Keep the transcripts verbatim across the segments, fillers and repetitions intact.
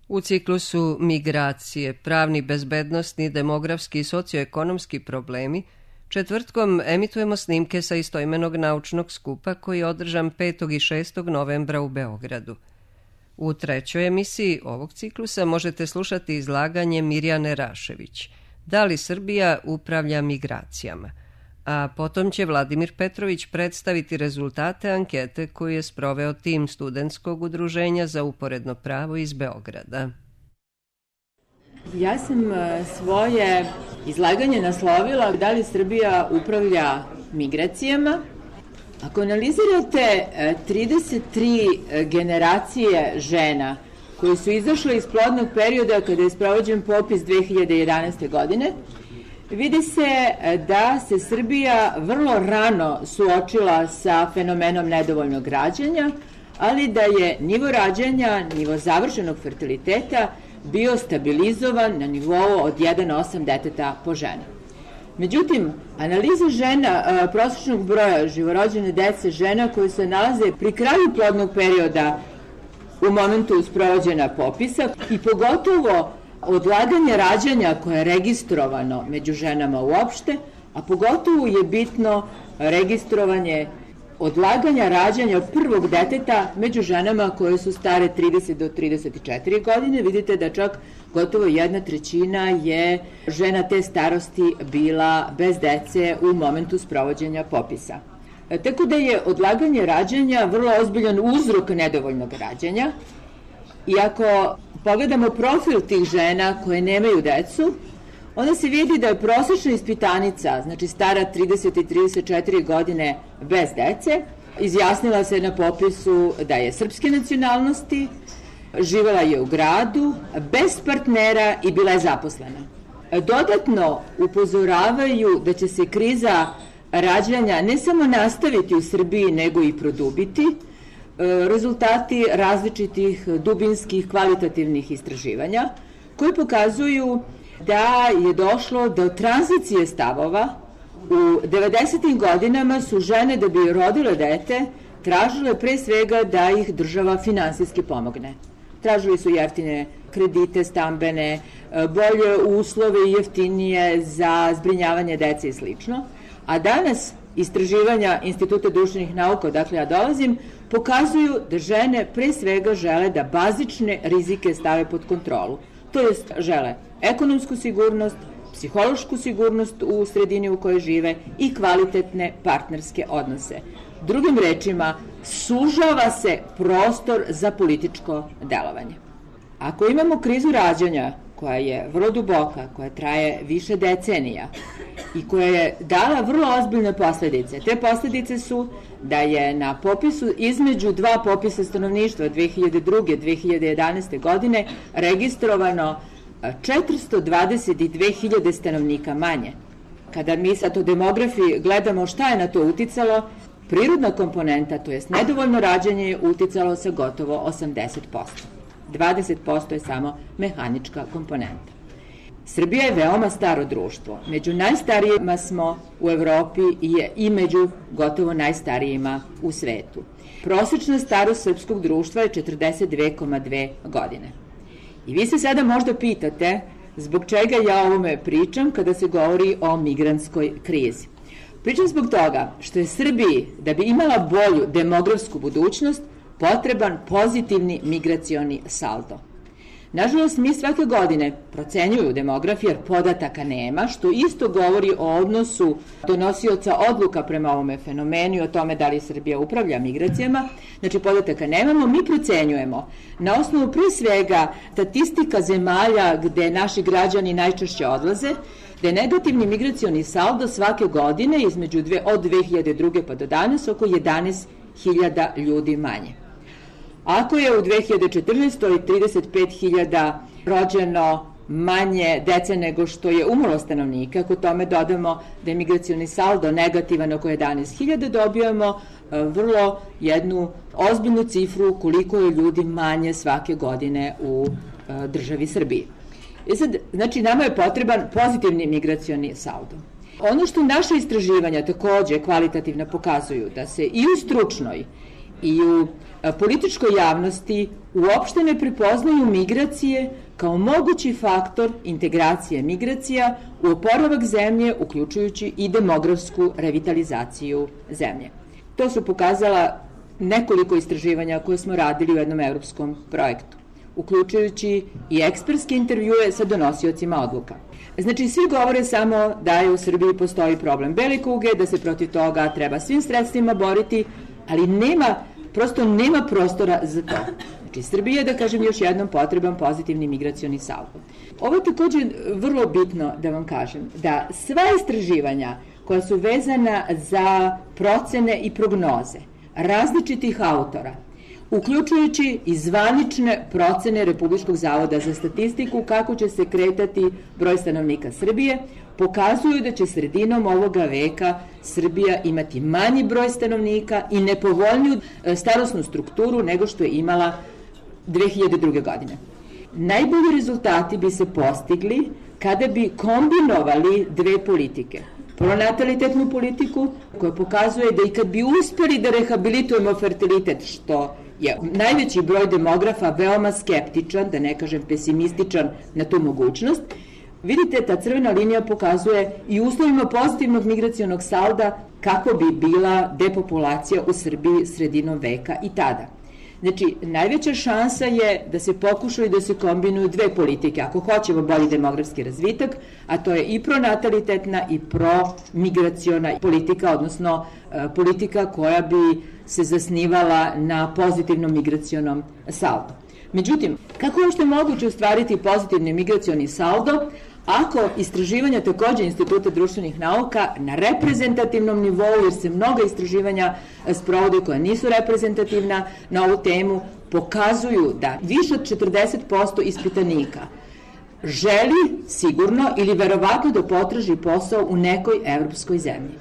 U ciklusu Migracije, pravni, bezbednosni, demografski i socioekonomski problemi, četvrtkom emitujemo snimke sa istoimenog naučnog skupa koji je održan petog i šestog novembra u Beogradu. U trećoj emisiji ovog ciklusa možete slušati izlaganje Mirjane Rašević Da li Srbija upravlja migracijama? A potom će Vladimir Petrović predstaviti rezultate ankete koju je sproveo tim studentskog udruženja za uporedno pravo iz Beograda. Ja sam svoje izlaganje naslovila Da li Srbija upravlja migracijama? Ako analizirate trideset tri generacije žena koje su izašle iz plodnog perioda kada je sprovođen popis dve hiljade jedanaeste. godine, vidi se da se Srbija vrlo rano suočila sa fenomenom nedovoljnog rađanja, ali da je nivo rađanja, nivo završenog fertiliteta bio stabilizovan na nivou od jedan zarez osam deteta po ženi. Međutim, analiza žena, prosječnog broja živorođene dece žena koje se nalaze pri kraju plodnog perioda u momentu sprovođenja popisa i pogotovo odlaganje rađanja koje je registrovano među ženama uopšte, a pogotovo je bitno registrovanje odlaganja rađanja prvog deteta među ženama koje su stare trideset do trideset četiri godine. Vidite da čak gotovo jedna trećina je žena te starosti bila bez dece u momentu sprovođenja popisa. Tako da je odlaganje rađanja vrlo ozbiljan uzrok nedovoljnog rađanja i ako pogledamo profil tih žena koje nemaju decu, onda se vidi da je prosječna ispitanica, znači stara trideset i trideset četiri godine bez dece, izjasnila se na popisu da je srpske nacionalnosti, živela je u gradu, bez partnera i bila je zaposlena. Dodatno upozoravaju da će se kriza rađanja ne samo nastaviti u Srbiji, nego i produbiti. Rezultati različitih dubinskih kvalitativnih istraživanja koji pokazuju da je došlo do tranzicije stavova. U devedesetim godinama su žene da bi rodile dete tražile pre svega da ih država finansijski pomogne. Tražili su jeftine kredite stambene, bolje uslove i jeftinije za zbrinjavanje dece i slično. A danas istraživanja Instituta društvenih nauka, odakle ja dolazim, pokazuju da žene pre svega žele da bazične rizike stave pod kontrolu. To jest žele ekonomsku sigurnost, psihološku sigurnost u sredini u kojoj žive i kvalitetne partnerske odnose. Drugim rečima, sužava se prostor za političko delovanje. Ako imamo krizu rađanja koja je vrlo duboka, koja traje više decenija i koja je dala vrlo ozbiljne posledice. Te posledice su da je na popisu između dva popisa stanovništva dve hiljade druge. i dve hiljade jedanaeste. godine registrovano četiristo dvadeset dve hiljade stanovnika manje. Kada mi sad o demografiji gledamo šta je na to uticalo, prirodna komponenta, to jest nedovoljno rađanje, je uticalo sa gotovo osamdeset posto. dvadeset posto je samo mehanička komponenta. Srbija je veoma staro društvo. Među najstarijima smo u Evropi i među gotovo najstarijima u svetu. Prosečna starost srpskog društva je četrdeset dve zarez dve godine. I vi se sada možda pitate zbog čega ja o ovome pričam kada se govori o migrantskoj krizi. Pričam zbog toga što je Srbiji, da bi imala bolju demografsku budućnost, potreban pozitivni migracioni saldo. Nažalost, mi svake godine procenjuju demografiju jer podataka nema, što isto govori o odnosu donosioca odluka prema ovome fenomenu i o tome da li Srbija upravlja migracijama. Znači, podataka nemamo, mi procenjujemo na osnovu pre svega statistika zemalja gde naši građani najčešće odlaze, da je negativni migracioni saldo svake godine između dve, od dve hiljade druge. pa do danas oko jedanaest hiljada ljudi manje. Ako je u dve hiljade četrnaestoj. trideset pet hiljada rođeno manje dece nego što je umrlo stanovnika, ako tome dodamo da je migracioni saldo negativan oko jedanaest hiljada, dobijamo vrlo jednu ozbiljnu cifru koliko je ljudi manje svake godine u državi Srbiji. I sad, znači, nama je potreban pozitivni migracioni saldo. Ono što naše istraživanja takođe kvalitativno pokazuju da se i u stručnoj i u političkoj javnosti uopšte ne prepoznaju migracije kao mogući faktor integracije migracija u oporavak zemlje, uključujući i demografsku revitalizaciju zemlje. To su pokazala nekoliko istraživanja koje smo radili u jednom evropskom projektu, uključujući i ekspertske intervjue sa donosiocima odluka. Znači, svi govore samo da je u Srbiji postoji problem bele kuge, da se protiv toga treba svim sredstvima boriti, ali nema, prosto nema prostora za to. Znači, Srbija je, da kažem još jednom, potreban pozitivni migracioni saldo. Ovo je takođe vrlo bitno da vam kažem, da sva istraživanja koja su vezana za procene i prognoze različitih autora, uključujući i zvanične procene Republičkog zavoda za statistiku kako će se kretati broj stanovnika Srbije, pokazuju da će sredinom ovoga veka Srbija imati manji broj stanovnika i nepovoljniju starosnu strukturu nego što je imala dve hiljade druge. godine. Najbolji rezultati bi se postigli kada bi kombinovali dve politike. Pronatalitetnu politiku koja pokazuje da i kad bi uspeli da rehabilitujemo fertilitet, što je najveći broj demografa veoma skeptičan, da ne kažem pesimističan na tu mogućnost, vidite, ta crvena linija pokazuje i uslovima pozitivnog migracionog salda kako bi bila depopulacija u Srbiji sredinom veka i tada. Znači, najveća šansa je da se pokušaju da se kombinuju dve politike, ako hoćemo bolji demografski razvitak, a to je i pronatalitetna i promigraciona politika, odnosno e, politika koja bi se zasnivala na pozitivnom migracionom saldu. Međutim, kako je uopšte moguće ostvariti pozitivni migracioni saldo ako istraživanja takođe Instituta društvenih nauka na reprezentativnom nivou, jer se mnoga istraživanja sprovode koja nisu reprezentativna na ovu temu, pokazuju da više od četrdeset posto ispitanika želi sigurno ili verovatno da potraži posao u nekoj evropskoj zemlji.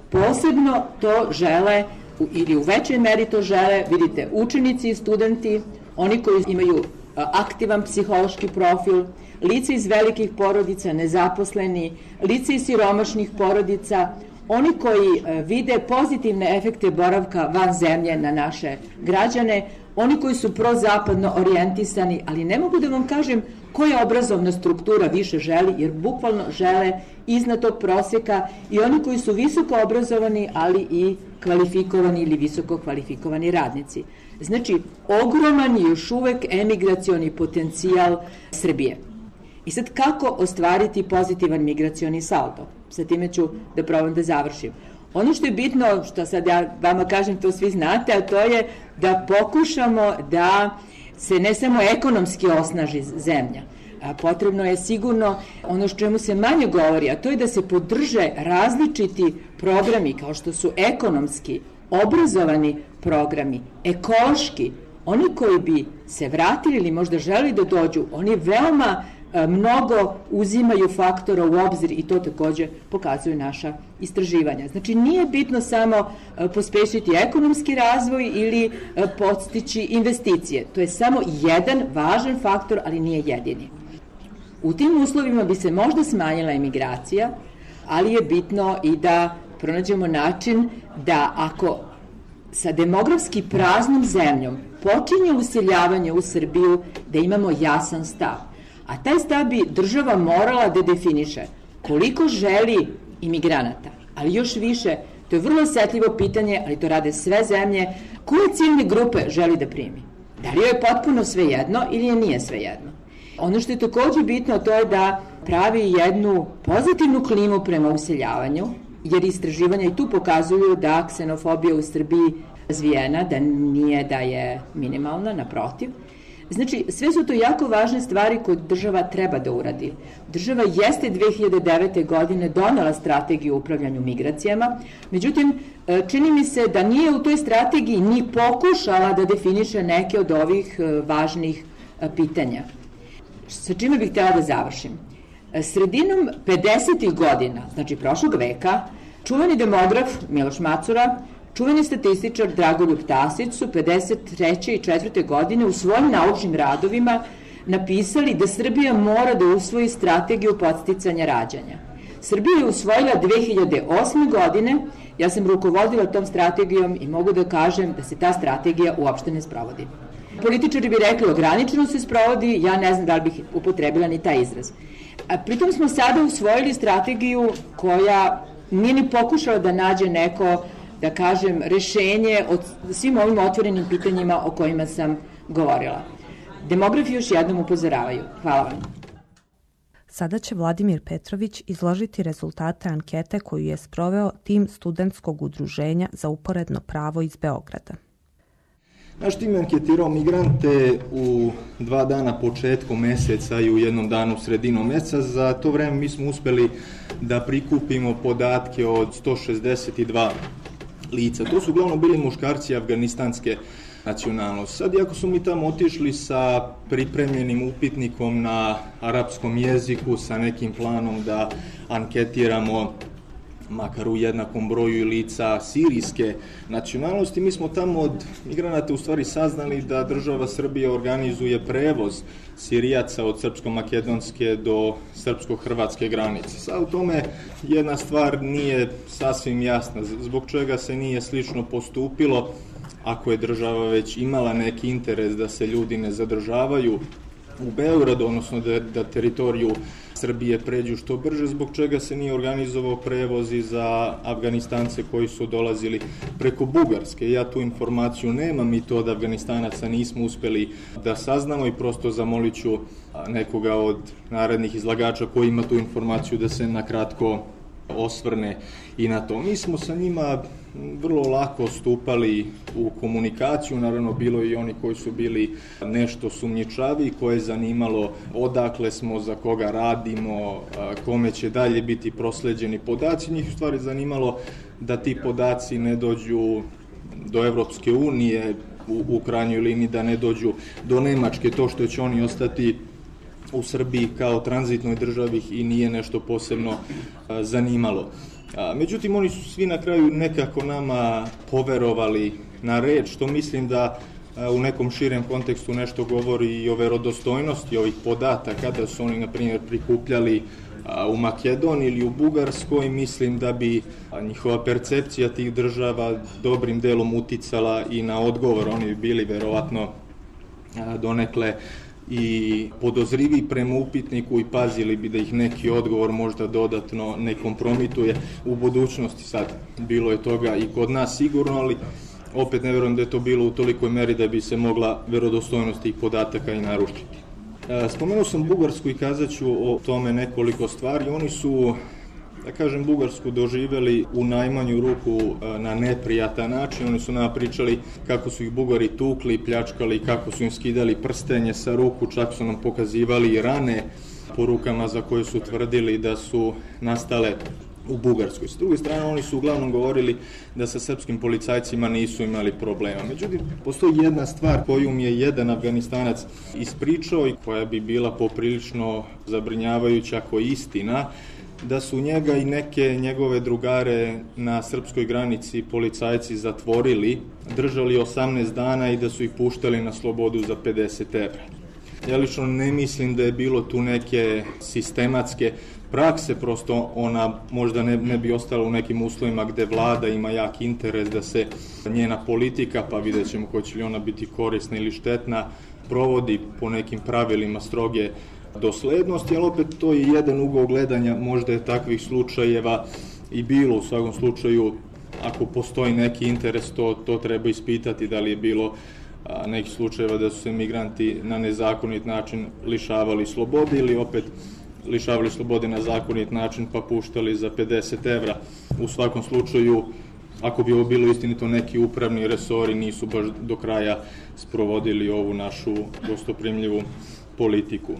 Posebno to žele, ili u većoj meri to žele, vidite, učenici i studenti, oni koji imaju aktivan psihološki profil, lice iz velikih porodica, nezaposleni, lice iz siromašnih porodica, oni koji vide pozitivne efekte boravka van zemlje na naše građane, oni koji su prozapadno orijentisani, ali ne mogu da vam kažem koja obrazovna struktura više želi, jer bukvalno žele iznad tog proseka, i oni koji su visoko obrazovani, ali i kvalifikovani ili visoko kvalifikovani radnici. Znači, ogroman je još uvek emigracioni potencijal Srbije. I sad, kako ostvariti pozitivan migracioni saldo? Sa time ću da probam da završim. Ono što je bitno, što sad ja vama kažem, to svi znate, a to je da pokušamo da se ne samo ekonomski osnaži zemlja. A potrebno je sigurno ono što čemu se manje govori, a to je da se podrže različiti programi kao što su ekonomski, obrazovani programi, ekološki. Oni koji bi se vratili ili možda želi da dođu, oni veoma mnogo uzimaju faktora u obzir i to takođe pokazuju naša istraživanja. Znači, nije bitno samo pospešiti ekonomski razvoj ili podstići investicije. To je samo jedan važan faktor, ali nije jedini. U tim uslovima bi se možda smanjila emigracija, ali je bitno i da pronađemo način da ako sa demografski praznom zemljom počinje useljavanje u Srbiju, da imamo jasan stav. A taj stav bi država morala da definiše koliko želi imigranata, ali još više, to je vrlo osetljivo pitanje, ali to rade sve zemlje, koje ciljne grupe želi da primi. Da li joj je potpuno svejedno ili je nije svejedno? Ono što je takođe bitno, to je da pravi jednu pozitivnu klimu prema useljavanju, jer istraživanja i tu pokazuju da ksenofobija u Srbiji razvijena, da nije da je minimalna, naprotiv. Znači, sve su to jako važne stvari koje država treba da uradi. Država jeste dve hiljade devete. godine donela strategiju o upravljanju migracijama, međutim, čini mi se da nije u toj strategiji ni pokušala da definiše neke od ovih važnih pitanja. Sa čime bih htjela da završim? Sredinom pedesetih godina, znači prošlog veka, čuveni demograf Miloš Macura, čuveni statističar Dragoljub Tasić su pedeset treće i četvrte. godine u svojim naučnim radovima napisali da Srbija mora da usvoji strategiju podsticanja rađanja. Srbija je usvojila dve hiljade osme. godine, ja sam rukovodila tom strategijom i mogu da kažem da se ta strategija uopšte ne sprovodi. Političari bi rekli ograničeno se sprovodi, ja ne znam da li bih upotrebila ni taj izraz. A pritom smo sada usvojili strategiju koja nije ni pokušala da nađe neko, da kažem, rešenje od svim ovim otvorenim pitanjima o kojima sam govorila. Demografi još jednom upozoravaju. Hvala vam. Sada će Vladimir Petrović izložiti rezultate ankete koju je sproveo tim studentskog udruženja za uporedno pravo iz Beograda. Naš tim je anketirao migrante u dva dana početkom meseca i u jednom danu sredinom meseca. Za to vreme mi smo uspeli da prikupimo podatke od sto šezdeset dva lica. To su uglavnom bili muškarci afganistanske nacionalnosti. Sad, iako su mi tamo otišli sa pripremljenim upitnikom na arapskom jeziku, sa nekim planom da anketiramo makar u jednakom broju lica sirijske nacionalnosti, mi smo tamo od migranata u stvari saznali da država Srbija organizuje prevoz Sirijaca od srpsko-makedonske do srpsko-hrvatske granice. Sad u tome jedna stvar nije sasvim jasna, zbog čega se nije slično postupilo ako je država već imala neki interes da se ljudi ne zadržavaju u Beogradu, odnosno da, da teritoriju Srbije pređu što brže, zbog čega se nije organizovao prevoz i za Afganistance koji su dolazili preko Bugarske. Ja tu informaciju nemam i to od Afganistanaca nismo uspeli da saznamo i prosto zamolit ću nekoga od narednih izlagača koji ima tu informaciju da se nakratko osvrne i na to. Mi smo sa njima vrlo lako stupali u komunikaciju, naravno bilo i oni koji su bili nešto sumnjičavi, koje je zanimalo odakle smo, za koga radimo, kome će dalje biti prosleđeni podaci. Njih u stvari zanimalo da ti podaci ne dođu do Evropske unije, u, u krajnjoj liniji da ne dođu do Nemačke, to što će oni ostati u Srbiji kao tranzitnoj državi i nije nešto posebno a, zanimalo. A, međutim, oni su svi na kraju nekako nama poverovali na reč, što mislim da a, u nekom širem kontekstu nešto govori i o verodostojnosti ovih podataka, da su oni, na primjer, prikupljali a, u Makedoniji ili u Bugarskoj. Mislim da bi a, njihova percepcija tih država dobrim delom uticala i na odgovor. Oni bi bili verovatno a, donekle i podozrivi prema upitniku i pazili bi da ih neki odgovor možda dodatno ne kompromituje u budućnosti. Sad, bilo je toga i kod nas sigurno, ali opet ne verujem da je to bilo u tolikoj meri da bi se mogla verodostojnost tih podataka i narušiti. Spomenuo sam Bugarsku i kazat ću o tome nekoliko stvari. Oni su, da kažem, Bugarsku doživjeli u najmanju ruku na neprijatan način. Oni su nama pričali kako su ih Bugari tukli, pljačkali, kako su im skidali prstenje sa ruku, čak su nam pokazivali rane po rukama za koje su tvrdili da su nastale u Bugarskoj. S druge strane, oni su uglavnom govorili da sa srpskim policajcima nisu imali problema. Međutim, postoji jedna stvar koju mi je jedan Afganistanac ispričao i koja bi bila poprilično zabrinjavajuća ako je istina, da su njega i neke njegove drugare na srpskoj granici policajci zatvorili, držali osamnaest dana i da su ih puštali na slobodu za pedeset evra. Ja lično ne mislim da je bilo tu neke sistematske prakse, prosto ona možda ne, ne bi ostala u nekim uslovima gde vlada ima jak interes da se njena politika, pa vidjet ćemo hoće li ona biti korisna ili štetna, provodi po nekim pravilima stroge doslednosti, ali opet to je jedan ugao gledanja, možda je takvih slučajeva i bilo. U svakom slučaju, ako postoji neki interes, to, to treba ispitati da li je bilo a, nekih slučajeva da su se migranti na nezakonit način lišavali slobode ili opet lišavali slobode na zakonit način pa puštali za pedeset evra. U svakom slučaju, ako bi ovo bilo istinito, neki upravni resori nisu baš do kraja sprovodili ovu našu gostoprimljivu politiku.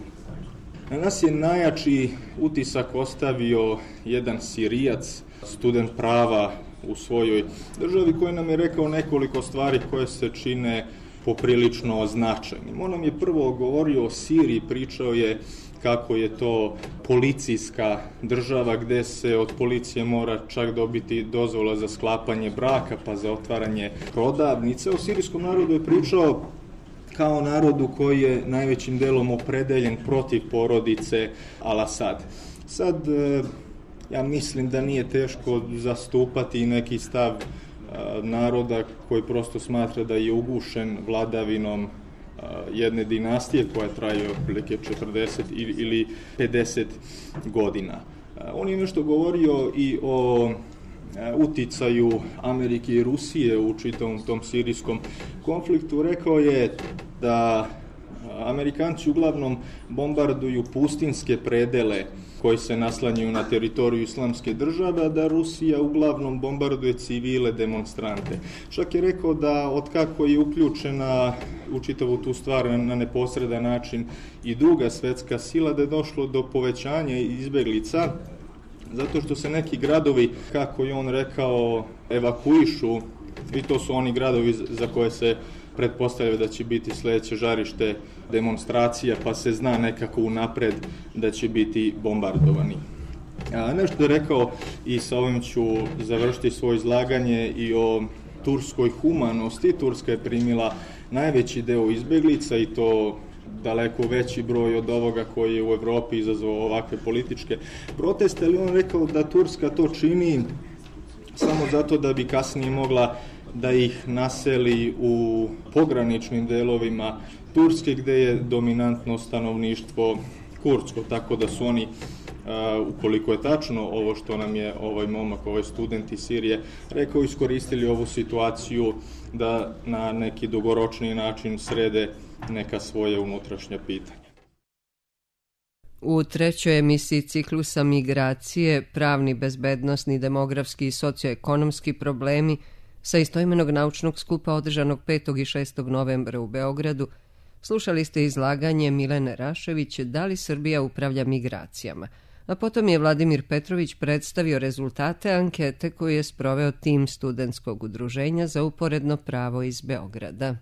Na nas je najjači utisak ostavio jedan Sirijac, student prava u svojoj državi, koji nam je rekao nekoliko stvari koje se čine poprilično značajnim. On nam je prvo govorio o Siriji, pričao je kako je to policijska država gde se od policije mora čak dobiti dozvola za sklapanje braka pa za otvaranje prodavnice. O sirijskom narodu je pričao kao narodu koji je najvećim delom opredeljen protiv porodice Al-Asad. Sad, Ja mislim da nije teško zastupati neki stav naroda koji prosto smatra da je ugušen vladavinom jedne dinastije koja traje otprilike četrdeset ili pedeset godina. On je nešto govorio i o uticaju Amerike i Rusije u čitavom tom sirijskom konfliktu. Rekao je da Amerikanci uglavnom bombarduju pustinske predele koji se naslanjaju na teritoriju islamske države, a da Rusija uglavnom bombarduje civile demonstrante. Čak je rekao da otkako je uključena u čitavu tu stvar na neposredan način i druga svetska sila, da je došlo do povećanja izbeglica, zato što se neki gradovi, kako je on rekao, evakuišu, i to su oni gradovi za koje se pretpostavlja da će biti sledeće žarište demonstracija, pa se zna nekako unapred da će biti bombardovani. A, nešto je rekao, i sa ovim ću završiti svoje izlaganje, i o turskoj humanosti. Turska je primila najveći deo izbeglica i to daleko veći broj od ovoga koji je u Evropi izazvao ovakve političke proteste, ali on rekao da Turska to čini samo zato da bi kasnije mogla da ih naseli u pograničnim delovima Turske gde je dominantno stanovništvo kurdsko, tako da su oni, ukoliko je tačno ovo što nam je ovaj momak, ovaj student iz Sirije rekao, iskoristili ovu situaciju da na neki dugoročni način srede neka svoje unutrašnja pitanja. U trećoj emisiji ciklusa Migracije, pravni, bezbednosni, demografski i socioekonomski problemi sa istoimenog naučnog skupa održanog petog i šestog novembra u Beogradu, slušali ste izlaganje Milene Rašević Da li Srbija upravlja migracijama, a potom je Vladimir Petrović predstavio rezultate ankete koju je sproveo tim studentskog udruženja za uporedno pravo iz Beograda.